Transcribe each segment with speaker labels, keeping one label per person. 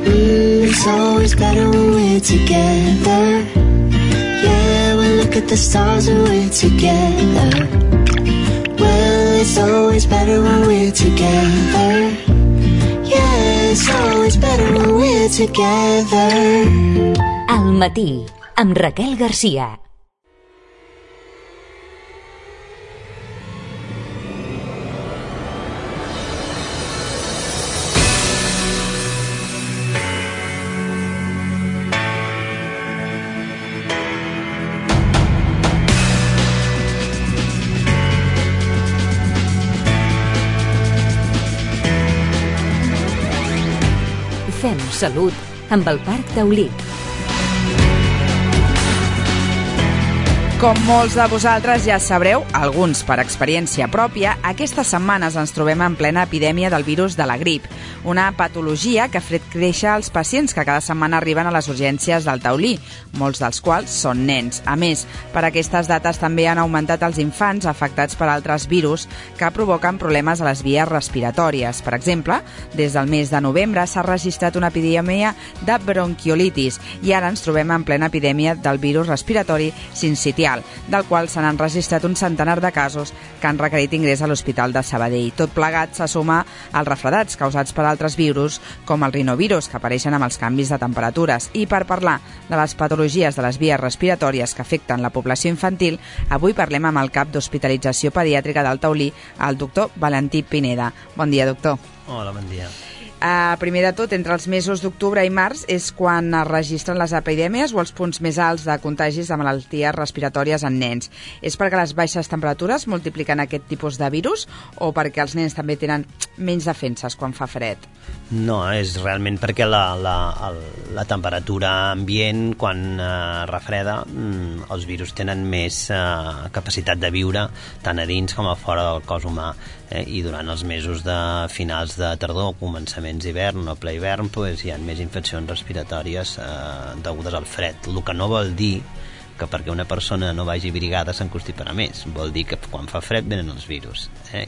Speaker 1: It's always better when we're together. Yeah, we look at the stars and we're together. Well, it's always better when we're together. Yeah, it's always better when we're together.
Speaker 2: Al matí, amb Raquel Garcia. Fem salut amb el Parc Taulí.
Speaker 3: Com molts de vosaltres ja sabreu, alguns per experiència pròpia, aquestes setmanes ens trobem en plena epidèmia del virus de la grip, una patologia que ha fet créixer els pacients que cada setmana arriben a les urgències del Taulí, molts dels quals són nens. A més, per aquestes dates també han augmentat els infants afectats per altres virus que provoquen problemes a les vies respiratòries. Per exemple, des del mes de novembre s'ha registrat una epidèmia de bronquiolitis i ara ens trobem en plena epidèmia del virus respiratori sincitial, del qual se n'han registrat un centenar de casos que han requerit ingrés a l'Hospital de Sabadell. Tot plegat se suma als refredats causats per altres virus, com el rinovirus, que apareixen amb els canvis de temperatures. I per parlar de les patologies de les vies respiratòries que afecten la població infantil, avui parlem amb el cap d'Hospitalització Pediàtrica del Taulí, el doctor Valentí Pineda. Bon dia, doctor.
Speaker 4: Hola, bon dia.
Speaker 3: Primer de tot, entre els mesos d'octubre i març és quan es registren les epidèmies o els punts més alts de contagis de malalties respiratòries en nens. És perquè les baixes temperatures multipliquen aquest tipus de virus o perquè els nens també tenen menys defenses quan fa fred?
Speaker 4: No, és realment perquè la temperatura ambient, quan refreda, els virus tenen més capacitat de viure tant a dins com a fora del cos humà. I durant els mesos de finals de tardor, començaments d'hivern o ple hivern, hi ha més infeccions respiratòries degudes al fred, el que no vol dir que perquè una persona no vagi abrigada s'enconstiparà més. Vol dir que quan fa fred venen els virus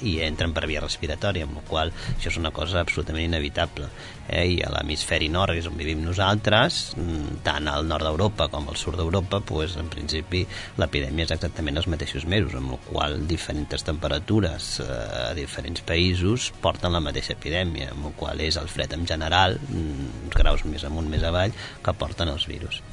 Speaker 4: i entren per via respiratòria, amb la qual això és una cosa absolutament inevitable. I a l'hemisferi nord, és on vivim nosaltres, tant al nord d'Europa com al sud d'Europa, en principi l'epidèmia és exactament els mateixos mesos, amb la qual diferents temperatures a diferents països porten la mateixa epidèmia, amb la qual és el fred en general, uns graus més amunt, més avall, que porten els virus.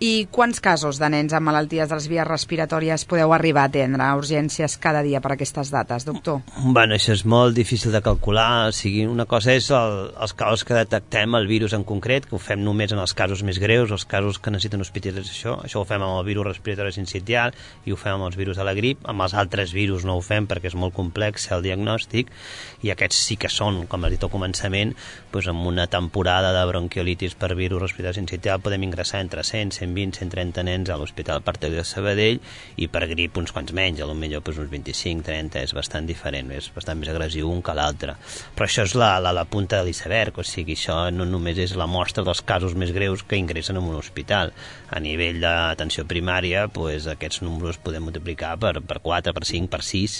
Speaker 3: I quants casos de nens amb malalties de les vies respiratòries podeu arribar a atendre a urgències cada dia per aquestes dates, doctor?
Speaker 4: Bueno, això és molt difícil de calcular. O sigui, una cosa és els casos que detectem el virus en concret, que ho fem només en els casos més greus, els casos que necessiten hospitalització. Això ho fem amb el virus respiratori sincitial i ho fem amb els virus de la grip. Amb els altres virus no ho fem perquè és molt complex el diagnòstic, i aquests sí que són, com has dit al començament, amb una temporada de bronquiolitis per virus respiratori sincitial podem ingressar entre 100, 120, 130 nens a l'Hospital Parc Taulí de Sabadell, i per grip uns quants menys, potser uns 25, 30, és bastant diferent, és bastant més agressiu un que l'altre. Però això és la punta de l'iceberg, o sigui, això no només és la mostra dels casos més greus que ingressen en un hospital. A nivell d'atenció primària, aquests números es poden multiplicar per 4, per 5, per 6,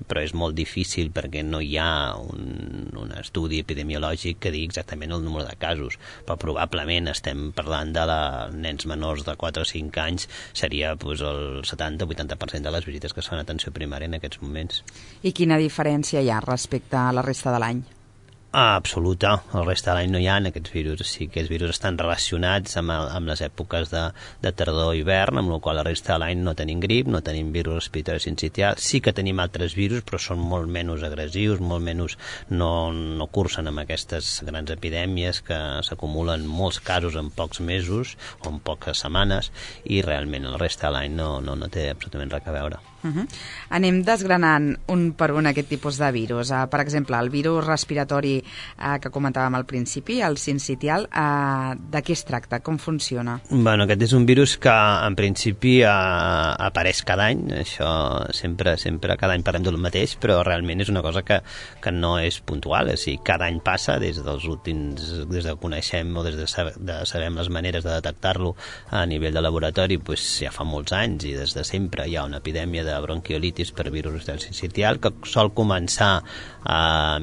Speaker 4: però és molt difícil perquè no hi ha un estudi epidemiològic que digui exactament el número de casos, però probablement estem parlant de nens menors de 4 o 5 anys, seria el 70-80% de les visites que es fan a atenció primària en aquests moments.
Speaker 3: I quina diferència hi ha respecte a la resta de l'any?
Speaker 4: Absoluta. El resta de l'any no hi ha aquests virus. Sí que els virus estan relacionats amb les èpoques de tardor i hivern, amb la qual la resta de l'any no tenim grip, no tenim virus respiratori sincitial. Sí que tenim altres virus, però són molt menys agressius, molt menys, no cursen amb aquestes grans epidèmies que s'acumulen molts casos en pocs mesos o en poques setmanes, i realment el resta de l'any no té absolutament res a veure.
Speaker 3: Anem desgranant un per un aquest tipus de virus. Per exemple, el virus respiratori que comentàvem al principi, el sincitial, de què es tracta? Com funciona?
Speaker 4: Bueno, aquest és un virus que en principi apareix cada any. Això sempre cada any parlem del mateix, però realment és una cosa que no és puntual. O sigui, cada any passa, des que coneixem o des de sabem les maneres de detectar-lo a nivell de laboratori, ja fa molts anys, i des de sempre hi ha una epidèmia de bronquiolitis per virus respiratori sincitial que sol començar a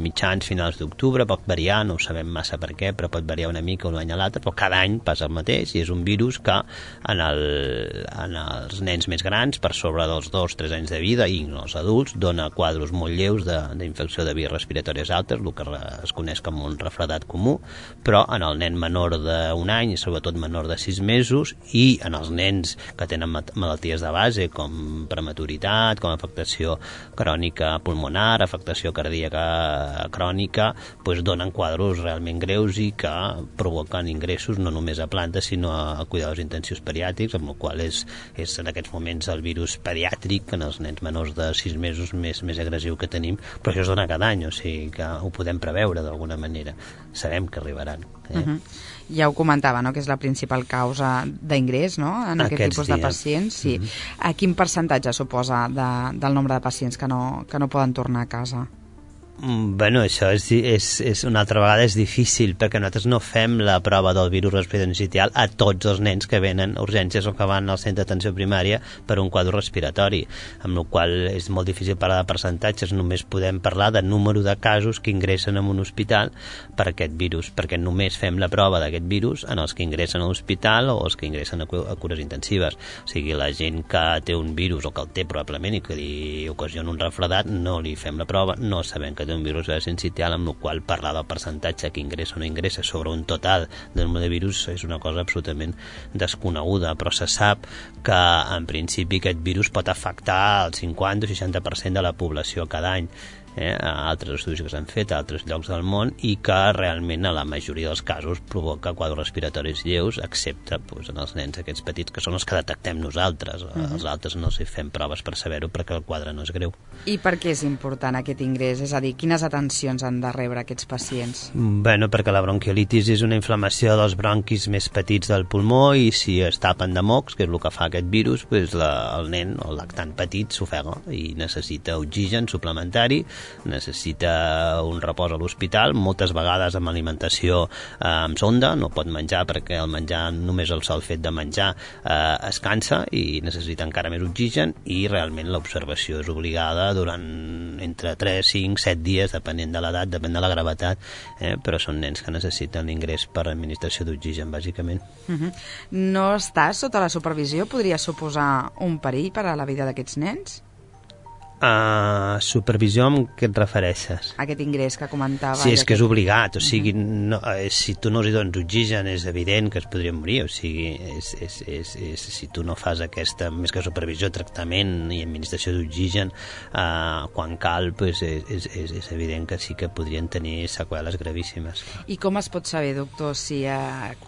Speaker 4: finals d'octubre, octubre, pot variar, no ho sabem massa per què, però pot variar una mica un any a l'altre, però cada any passa el mateix i és un virus que en els nens més grans, per sobre dels 2-3 anys de vida i els adults, dona quadros molt lleus d'infecció de vies respiratòries altes, el que es coneix com un refredat comú, però en el nen menor d'un any i sobretot menor de 6 mesos i en els nens que tenen malalties de base com prematuritat, com afectació crònica pulmonar, afectació cardíaca crònica, doncs donen quadros realment greus i que provoquen ingressos no només a plantes sinó a cuidadors intensius pediàtrics, amb el qual és en aquests moments el virus pediàtric en els nens menors de 6 mesos més agressiu que tenim, però això es dona cada any, o sigui que ho podem preveure d'alguna manera, sabem que arribaran.
Speaker 3: Ja ho comentava, no?, que és la principal causa d'ingrés, no?, en aquest tipus de pacients. Sí. A quin percentatge suposa del nombre de pacients que no poden tornar a casa?
Speaker 4: Bueno, això és una altra vegada és difícil perquè nosaltres no fem la prova del virus respiratori sincitial a tots els nens que venen a urgències o que van al centre d'atenció primària per un quadre respiratori, amb la qual és molt difícil parlar de percentatges, només podem parlar de número de casos que ingressen en un hospital per aquest virus, perquè només fem la prova d'aquest virus en els que ingressen a l'hospital o els que ingressen a cures intensives. O sigui, la gent que té un virus o que el té probablement i que li ocasiona un refredat, no li fem la prova, no sabem que té un virus sincitial, amb el qual parlar del percentatge que ingressa o no ingressa sobre un total de número de virus és una cosa absolutament desconeguda, però se sap que en principi aquest virus pot afectar el 50 o 60% de la població cada any, a altres estudis que s'han fet a altres llocs del món i que realment a la majoria dels casos provoca quadres respiratoris lleus, excepte en els nens aquests petits que són els que detectem nosaltres. Els altres no s'hi fem proves per saber-ho perquè el quadre no és greu.
Speaker 3: I per què és important aquest ingrés? És a dir, quines atencions han de rebre aquests pacients?
Speaker 4: Bueno, perquè la bronquiolitis és una inflamació dels bronquis més petits del pulmó i si es tapen de mocs, que és el que fa aquest virus, el nen o el lactant petit s'ofega i necessita oxigen suplementari, necessita un repòs a l'hospital, moltes vegades amb alimentació amb sonda, no pot menjar perquè el menjar, només el sol fet de menjar es cansa i necessita encara més oxigen i realment l'observació és obligada durant entre 3, 5, 7 dies, depenent de l'edat, depèn de la gravetat, però són nens que necessiten l'ingrés per administració d'oxigen, bàsicament.
Speaker 3: No estar sota la supervisió podria suposar un perill per a la vida d'aquests nens?
Speaker 4: Supervisió amb què et refereixes?
Speaker 3: Aquest ingrés que comentava.
Speaker 4: Sí, és que és obligat, o sigui, si tu no els dones oxigen és evident que es podrien morir, o sigui, si tu no fas aquesta, més que supervisió, tractament i administració d'oxigen quan cal, és evident que sí que podrien tenir seqüeles gravíssimes.
Speaker 3: I com es pot saber, doctor, si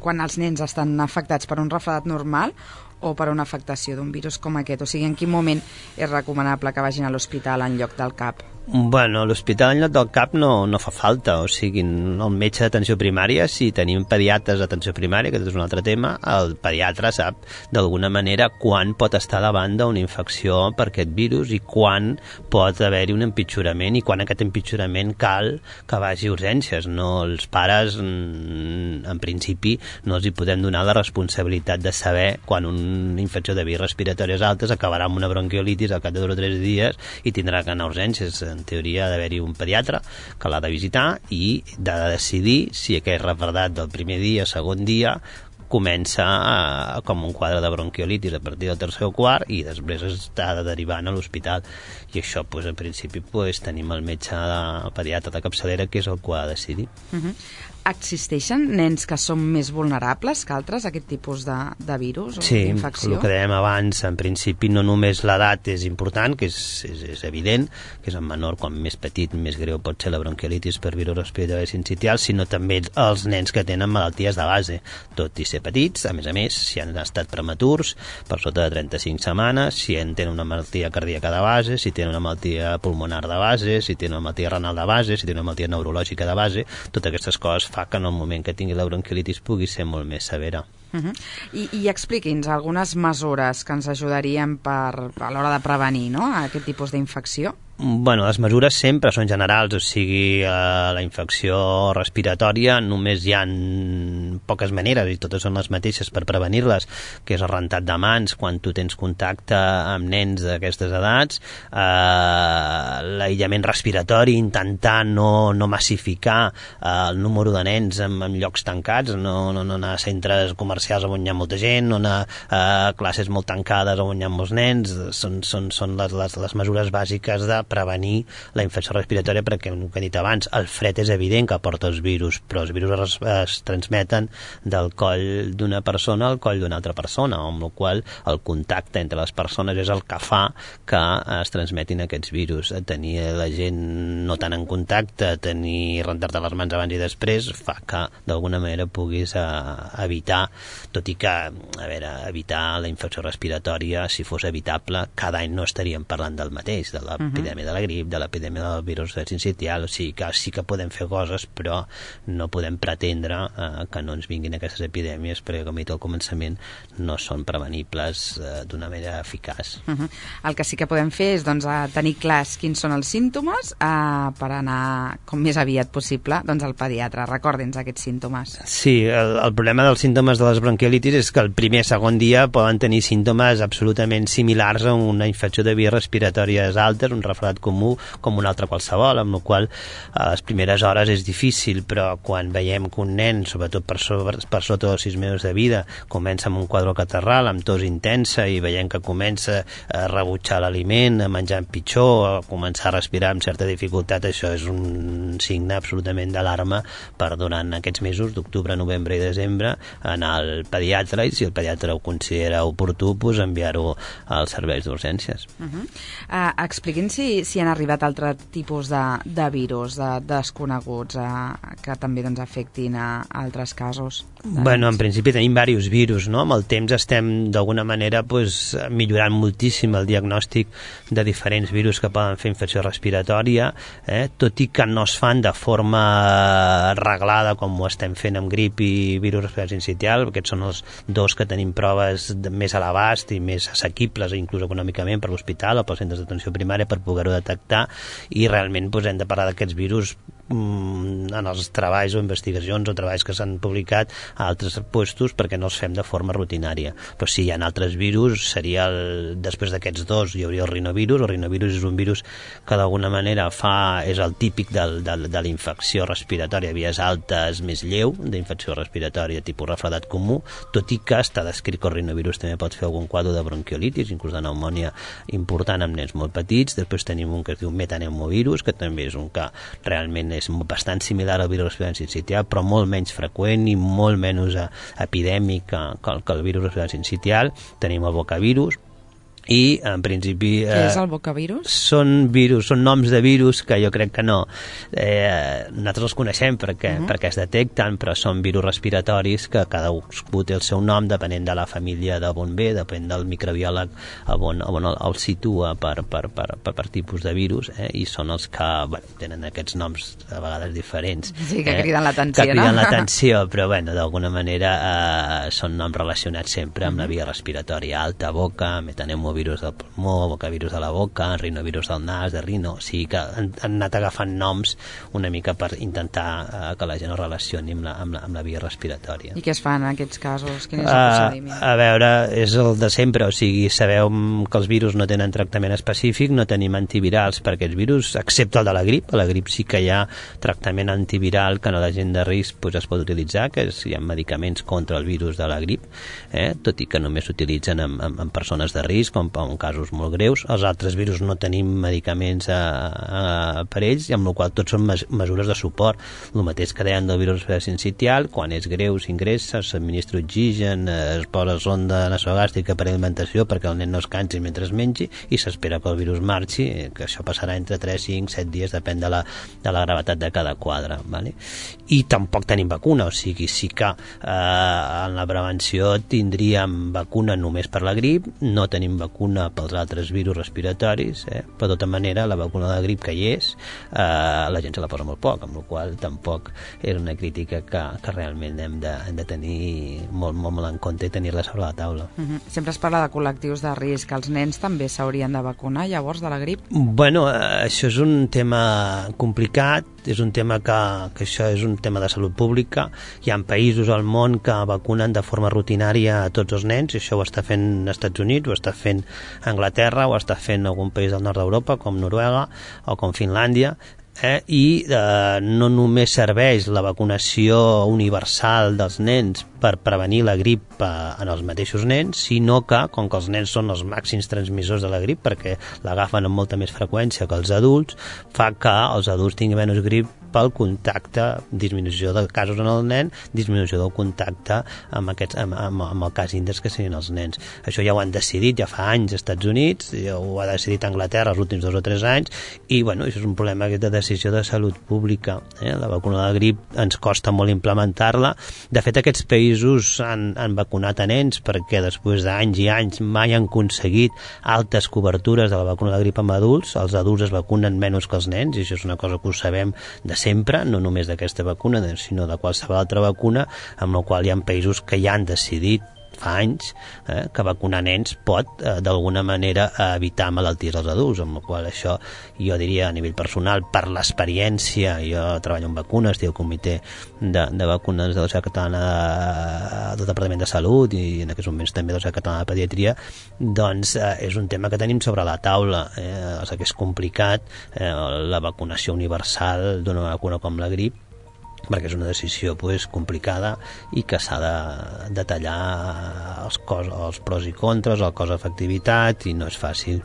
Speaker 3: quan els nens estan afectats per un refredat normal o per una afectació d'un virus com aquest? O sigui, en quin moment és recomanable que vagin a l'hospital en lloc del CAP?
Speaker 4: Bueno, l'hospital en lloc del CAP no fa falta, o sigui, el metge d'atenció primària, si tenim pediatres d'atenció primària, que és un altre tema, el pediatre sap d'alguna manera quan pot estar davant d'una infecció per aquest virus i quan pot haver-hi un empitjorament i quan aquest empitjorament cal que vagi a urgències. No, els pares, en principi, no els hi podem donar la responsabilitat de saber quan una infecció de vies respiratòries altes acabarà amb una bronquiolitis al cap de 2 o 3 dies i tindrà que anar a urgències. En teoria ha d'haver-hi un pediatre que l'ha de visitar i de decidir si aquell refredat del primer dia, segon dia, comença com un quadre de bronquiolitis a partir del tercer o quart i després està derivant a l'hospital. I això, en principi, tenim el metge pediatre de capçalera que és el que ha de decidir.
Speaker 3: Existeixen nens que són més vulnerables que altres a aquest tipus de virus o d'infecció?
Speaker 4: Sí, el que dèiem abans, en principi no només l'edat és important, que és evident, que és en menor, quan més petit, més greu pot ser la bronquiolitis per virus respiratori sincitial, sinó també els nens que tenen malalties de base, tot i ser petits, a més, si han estat prematurs, per sota de 35 setmanes, si tenen una malaltia cardíaca de base, si tenen una malaltia pulmonar de base, si tenen una malaltia renal de base, si tenen una malaltia neurològica de base, totes aquestes coses fa que en el moment que tingui la bronquiolitis pugui ser molt més severa.
Speaker 3: I expliqui'ns algunes mesures que ens ajudarien a l'hora de prevenir, no?, aquest tipus d'infecció.
Speaker 4: Bueno, les mesures sempre són generals, o sigui, la infecció respiratòria només hi ha poques maneres i totes són les mateixes per prevenir-les, que és el rentat de mans quan tu tens contacte amb nens d'aquestes edats, l'aïllament respiratori, intentar no massificar el número de nens en llocs tancats, no anar a centres comercials on hi ha molta gent, no anar a classes molt tancades on hi ha molts nens, són les mesures bàsiques de prevenir la infecció respiratòria, perquè, com he dit abans, el fred és evident que porta els virus, però els virus es transmeten del coll d'una persona al coll d'una altra persona, amb la qual el contacte entre les persones és el que fa que es transmetin aquests virus. Tenir la gent no tan en contacte, rentar-te les mans abans i després, fa que d'alguna manera puguis evitar, tot i que, evitar la infecció respiratòria, si fos evitable, cada any no estaríem parlant del mateix, de l'epidèmia de la grip, de l'epidèmia del virus sincitial, o sigui que sí que podem fer coses, però no podem pretendre que no ens vinguin aquestes epidèmies, perquè, com he dit al començament, no són prevenibles d'una manera eficaç.
Speaker 3: El que sí que podem fer és tenir clars quins són els símptomes per anar com més aviat possible al pediatre. Recordin aquests símptomes.
Speaker 4: Sí, el problema dels símptomes de les bronquiolitis és que el primer o segon dia poden tenir símptomes absolutament similars a una infecció de vies respiratòries altes, un refredat comú com un altre qualsevol, amb la qual a les primeres hores és difícil, però quan veiem que un nen, sobretot per sota dels 6 mesos de vida, comença amb un quadre catarral, amb tos intensa, i veiem que comença a rebutjar l'aliment, a menjar pitjor, a començar a respirar amb certa dificultat, això és un signe absolutament d'alarma per durant aquests mesos d'octubre, novembre i desembre anar al pediatre, i si el pediatre ho considera oportú, enviar-ho als serveis d'urgències.
Speaker 3: Expliquin si han arribat altres tipus de virus desconeguts que també afectin a altres casos.
Speaker 4: En principi tenim diversos virus, no? Amb el temps estem d'alguna manera millorant moltíssim el diagnòstic de diferents virus que poden fer infecció respiratòria, tot i que no es fan de forma reglada com ho estem fent amb grip i virus respiratori sincitial. Aquests són els dos que tenim proves més a l'abast i més assequibles, inclús econòmicament, per l'hospital o pels centres d'atenció primària, per poder-ho detectar, i realment hem de parlar d'aquests virus en els treballs o investigacions o treballs que s'han publicat a altres puestos, perquè no els fem de forma rutinària. Però si hi ha altres virus, després d'aquests dos hi hauria el rinovirus. El rinovirus és un virus que d'alguna manera és el típic de la infecció respiratòria vies altes més lleu, d'infecció respiratòria tipus refredat comú, tot i que està descrit que el rinovirus també pot fer algun quadre de bronquiolitis, inclús de pneumònia important amb nens molt petits. Després tenim un que es diu metapneumovirus, que també és un que realment és bastant similar al virus respiratori sincitial, però molt menys freqüent i molt menys epidèmic que el virus respiratori sincitial. Tenim el bocavirus, i en principi...
Speaker 3: Què és el bocavirus?
Speaker 4: Són noms de virus que jo crec que no. Nosaltres els coneixem perquè es detecten, però són virus respiratoris que cada un té el seu nom depenent de la família d'on ve, depèn del microbiòleg on el situa per tipus de virus, i són els que tenen aquests noms a vegades diferents.
Speaker 3: Sí, que criden l'atenció,
Speaker 4: no? Que criden l'atenció, però d'alguna manera són noms relacionats sempre amb la via respiratòria alta, boca, metapneumovirus del pulmó, bocavirus de la boca, rinovirus del nas, de rino. O sigui que han anat agafant noms una mica per intentar que la gent ho relacioni amb la via respiratòria.
Speaker 3: I què es fa en aquests casos? Quin és el procediment?
Speaker 4: A veure, és el de sempre, o sigui, sabeu que els virus no tenen tractament específic, no tenim antivirals per aquests virus, excepte el de la grip. A la grip sí que hi ha tractament antiviral que en la gent de risc es pot utilitzar, que hi ha medicaments contra el virus de la grip, tot i que només s'utilitzen en persones de risc, com en casos molt greus. Els altres virus no tenim medicaments per ells, i amb la qual tots són mesures de suport. El mateix que deien del virus sincitial, quan és greu s'ingressa, s'administra oxigen, es posa sonda nasogàstrica per alimentació perquè el nen no es cansi mentre es mengi, i s'espera que el virus marxi, que això passarà entre 3, 5, 7 dies, depèn de la gravetat de cada quadre. Vale? I tampoc tenim vacuna, o sigui, sí que en la prevenció tindríem vacuna només per la grip, no tenim vacuna vacuna pels altres virus respiratoris, però de tota manera la vacuna de grip que hi és, la gent se la posa molt poc, amb la qual tampoc és una crítica que realment hem de tenir molt en compte i tenir-la sobre la taula.
Speaker 3: Sempre es parla de col·lectius de risc. Els nens també s'haurien de vacunar llavors de la grip?
Speaker 4: Bueno, això és un tema complicat, és un tema que això és un tema de salut pública. Hi ha països al món que vacunen de forma rutinària a tots els nens, i això ho està fent als Estats Units, ho està fent Anglaterra, ho està fent algun país del nord d'Europa, com Noruega o com Finlàndia, i no només serveix la vacunació universal dels nens per prevenir la grip en els mateixos nens, sinó que, com que els nens són els màxims transmissors de la grip, perquè l'agafen amb molta més freqüència que els adults, fa que els adults tinguin menys grip pel contacte, disminució de casos en el nen, disminució del contacte amb el cas índex que siguin els nens. Això ja ho han decidit ja fa anys als Estats Units, ja ho ha decidit Anglaterra els últims 2 o 3 anys, i bueno, això és un problema de decisió de salut pública. La vacuna de la grip ens costa molt implementar-la. De fet, aquests països han vacunat a nens perquè després d'anys i anys mai han aconseguit altes cobertures de la vacuna de la grip amb adults. Els adults es vacunen menys que els nens, i això és una cosa que ho sabem de sempre, no només d'aquesta vacuna, sinó de qualsevol altra vacuna, amb la qual hi ha països que ja han decidit fa anys que vacunar nens pot d'alguna manera evitar malalties als adults, amb la qual això jo diria a nivell personal, per l'experiència, jo treballo en vacunes, estic al comitè de vacunes de la Societat Catalana del Departament de Salut i en aquests moments també de la Societat Catalana de Pediatria, doncs és un tema que tenim sobre la taula, que és complicat la vacunació universal d'una vacuna com la grip, perquè és una decisió complicada i que s'ha de detallar els pros i contres, el cost d'efectivitat, i no és fàcil.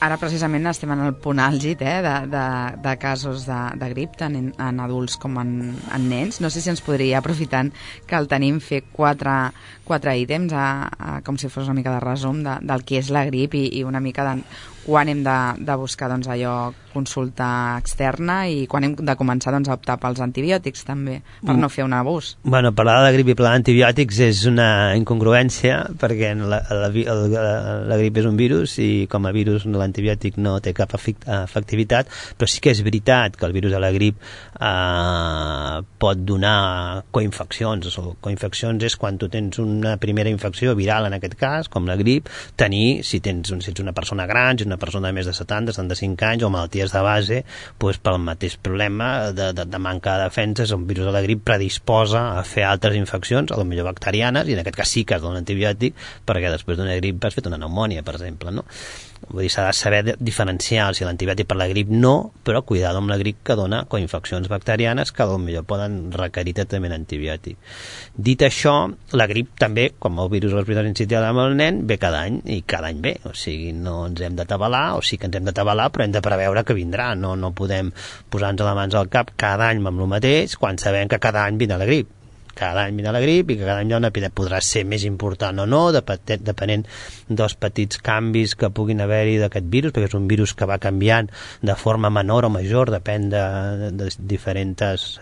Speaker 3: Ara precisament estem en el punt àlgid de casos de grip, tant en adults com en nens. No sé si ens podria, aprofitant que el tenim, fer quatre ítems com si fos una mica de resum del que és la grip i una mica de quan hem de buscar allò, consulta externa, i quan hem de començar a optar pels antibiòtics també, per no fer un abús.
Speaker 4: Bueno, parlar de grip i parlar d'antibiòtics és una incongruència, perquè la grip és un virus i com a virus l'antibiòtic no té cap efectivitat, però sí que és veritat que el virus de la grip pot donar coinfeccions. Coinfeccions és quan tu tens una primera infecció viral, en aquest cas, com la grip, si ets una persona gran, si ets una persona de més de 70, 75 anys, o malalties de base, pel mateix problema de manca de defenses, un virus de la grip predisposa a fer altres infeccions, a lo millor bacterianes, i en aquest cas sí que has de donar un antibiòtic, perquè després d'una grip has fet una pneumònia, per exemple, no? Vull dir, s'ha de saber diferenciar si l'antibiòtic per la grip no, però cuidado amb la grip que dona coinfeccions bacterianes que potser poden requerir tractament antibiòtic. Dit això, la grip també, com el virus respiratori sincitial amb el nen, ve cada any, i cada any ve, o sigui, no ens hem d'atabalar, o sí que ens hem d'atabalar, però hem de preveure que vindrà, no podem posar-nos les mans al cap cada any amb el mateix, quan sabem que cada any vindrà la grip. Cada any vindrà la grip i que cada any hi ha una epidèmia. Podrà ser més important o no, depenent dels petits canvis que puguin haver-hi d'aquest virus, perquè és un virus que va canviant de forma menor o major, depèn de diferents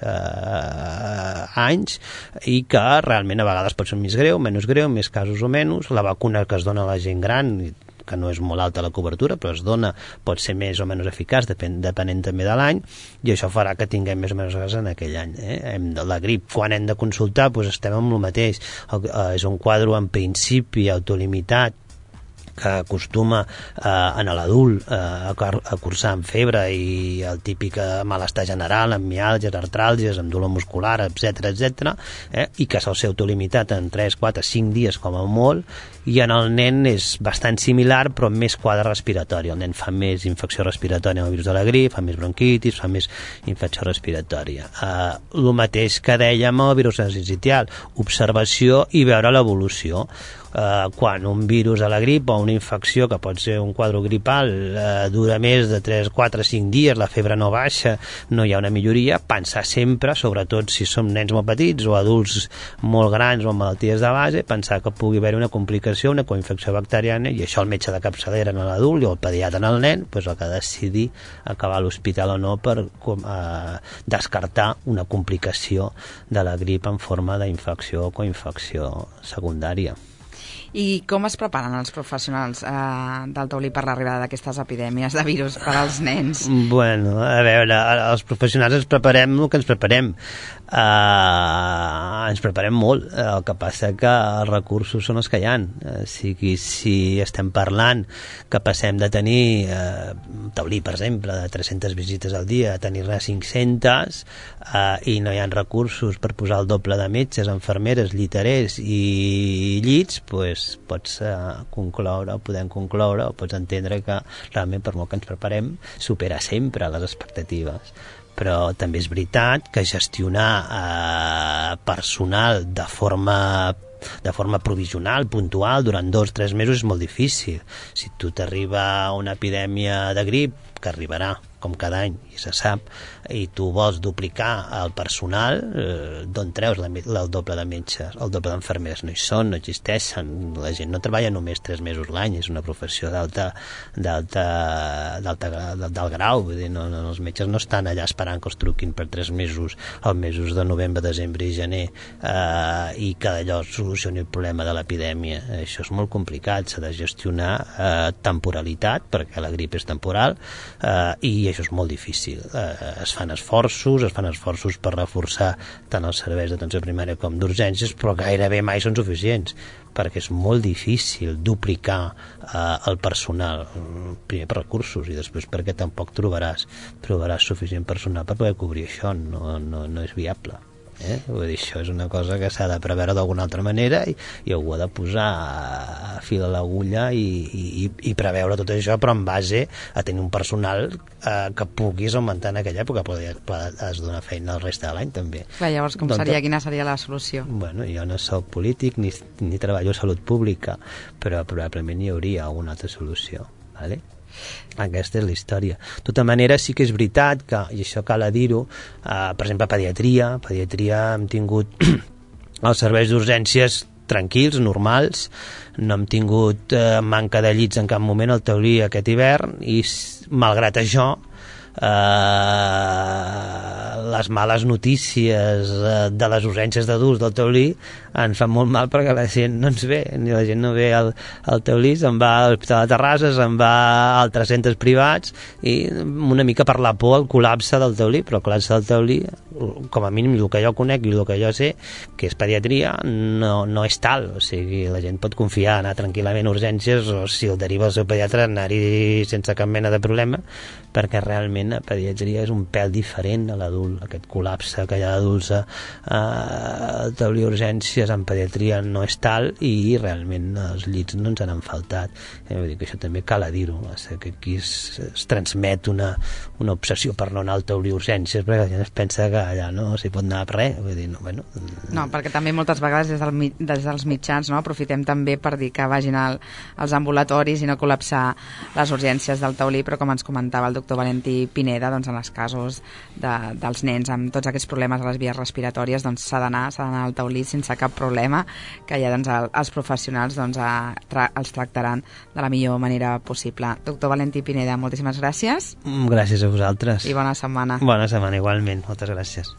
Speaker 4: anys, i que realment a vegades pot ser més greu, menys greu, més casos o menys. La vacuna que es dona a la gent gran, que no és molt alta la cobertura, però es dona, pot ser més o menys eficaç, depenent també de l'any, i això farà que tinguem més o menys casos en aquell any. La grip, quan hem de consultar, estem amb el mateix. És un quadre en principi autolimitat, que acostuma en l'adult a cursar amb febre i el típic malestar general, amb miàlgies, artràlgies, amb dolor muscular, etc., i que sol ser autolimitat en 3, 4, 5 dies com a molt, i en el nen és bastant similar, però amb més quadre respiratori. El nen fa més infecció respiratòria amb el virus de la grip, fa més bronquitis, fa més infecció respiratòria. El mateix que dèiem amb el virus sincitial, observació i veure l'evolució. Quan un virus a la grip o una infecció, que pot ser un quadre gripal, dura més de 3, 4, 5 dies, la febre no baixa, no hi ha una milloria, pensar sempre, sobretot si som nens molt petits o adults molt grans o amb malalties de base, pensar que pugui haver una complicació, una coinfecció bacteriana, i això el metge de capçalera en l'adult i el pediatre en el nen el que ha de decidir acabar a l'hospital o no per descartar una complicació de la grip en forma d'infecció o coinfecció secundària.
Speaker 3: I com es preparen els professionals del taulí per l'arribada d'aquestes epidèmies de virus per als nens?
Speaker 4: Bueno, a veure, els professionals ens preparem el que ens preparem. Ens preparem molt. El que passa que els recursos són els que hi ha. O sigui, si estem parlant que passem de tenir taulí, per exemple, de 300 visites al dia a tenir-ne 500 i no hi ha recursos per posar el doble de metges, infermeres, lliterers i llits, doncs pots podem concloure o pots entendre que realment per molt que ens preparem supera sempre les expectatives. Però també és veritat que gestionar personal de forma provisional, puntual, durant 2 o 3 mesos és molt difícil. Si tu t'arriba una epidèmia de grip, que arribarà com cada any, i se sap, i tu vols duplicar el personal, d'on treus el doble de metges, el doble d'enfermeres? No hi són, no existeixen. La gent no treballa només 3 mesos l'any, és una professió d'alt grau, vull dir, no, els metges no estan allà esperant que els truquin per 3 mesos, els mesos de novembre, desembre i gener, i que d'allò solucioni el problema de l'epidèmia. Això és molt complicat, s'ha de gestionar temporalitat, perquè la grip és temporal, i això és molt difícil. Es fan esforços per reforçar tant els serveis d'atenció primària com d'urgències, però gairebé mai són suficients, perquè és molt difícil duplicar el personal, primer per recursos i després perquè tampoc trobaràs suficient personal per poder cobrir això, no és viable. Vull dir, això és una cosa que s'ha de preveure d'alguna altra manera i algú ha de posar a fil a l'agulla i preveure tot això, però en base a tenir un personal que puguis augmentar en aquella època, però has de donar feina el reste de l'any també.
Speaker 3: Clar, llavors quina seria la solució?
Speaker 4: Bueno, jo no soc polític ni treballo a salut pública, però probablement hi hauria alguna altra solució, vale? Aquesta és la història. De tota manera, sí que és veritat que, i això cal dir-ho, per exemple, pediatria hem tingut els serveis d'urgències tranquils, normals, no hem tingut manca de llits en cap moment al taulí aquest hivern, i malgrat això les males notícies de les urgències d'adults del taulí ens fan molt mal, perquè la gent no ens ve, ni la gent no ve al taulí, se'n va a l'Hospital de Terrassa, se'n va a altres centres privats, i una mica per la por al col·lapse del taulí, però el col·lapse del taulí, com a mínim el que jo conec i el que jo sé, que és pediatria, no és tal. O sigui, la gent pot confiar, anar tranquil·lament a urgències, o si el deriva el seu pediatre, anar-hi sense cap mena de problema, perquè realment la pediatria és un pèl diferent a l'adult. Aquest col·lapse que hi ha d'adults al taulí urgències en pediatria no és tal, i realment els llits no ens han faltat. Vull dir que això també cal dir-ho, que aquí es transmet una obsessió per no anar al taulí urgències, perquè la gent es pensa que allà no s'hi pot anar per res. Vull dir,
Speaker 3: no, perquè també moltes vegades des dels mitjans aprofitem també per dir que vagin als ambulatoris i no col·lapsar les urgències del taulí, però com ens comentava el doctor Valentí Pineda, doncs en els casos dels nens amb tots aquests problemes a les vies respiratòries, doncs s'ha d'anar al taulí sense cap problema, que ja els professionals els tractaran de la millor manera possible. Doctor Valentí Pineda, moltíssimes gràcies.
Speaker 4: Gràcies a vosaltres.
Speaker 3: I bona setmana.
Speaker 4: Bona setmana, igualment. Moltes gràcies.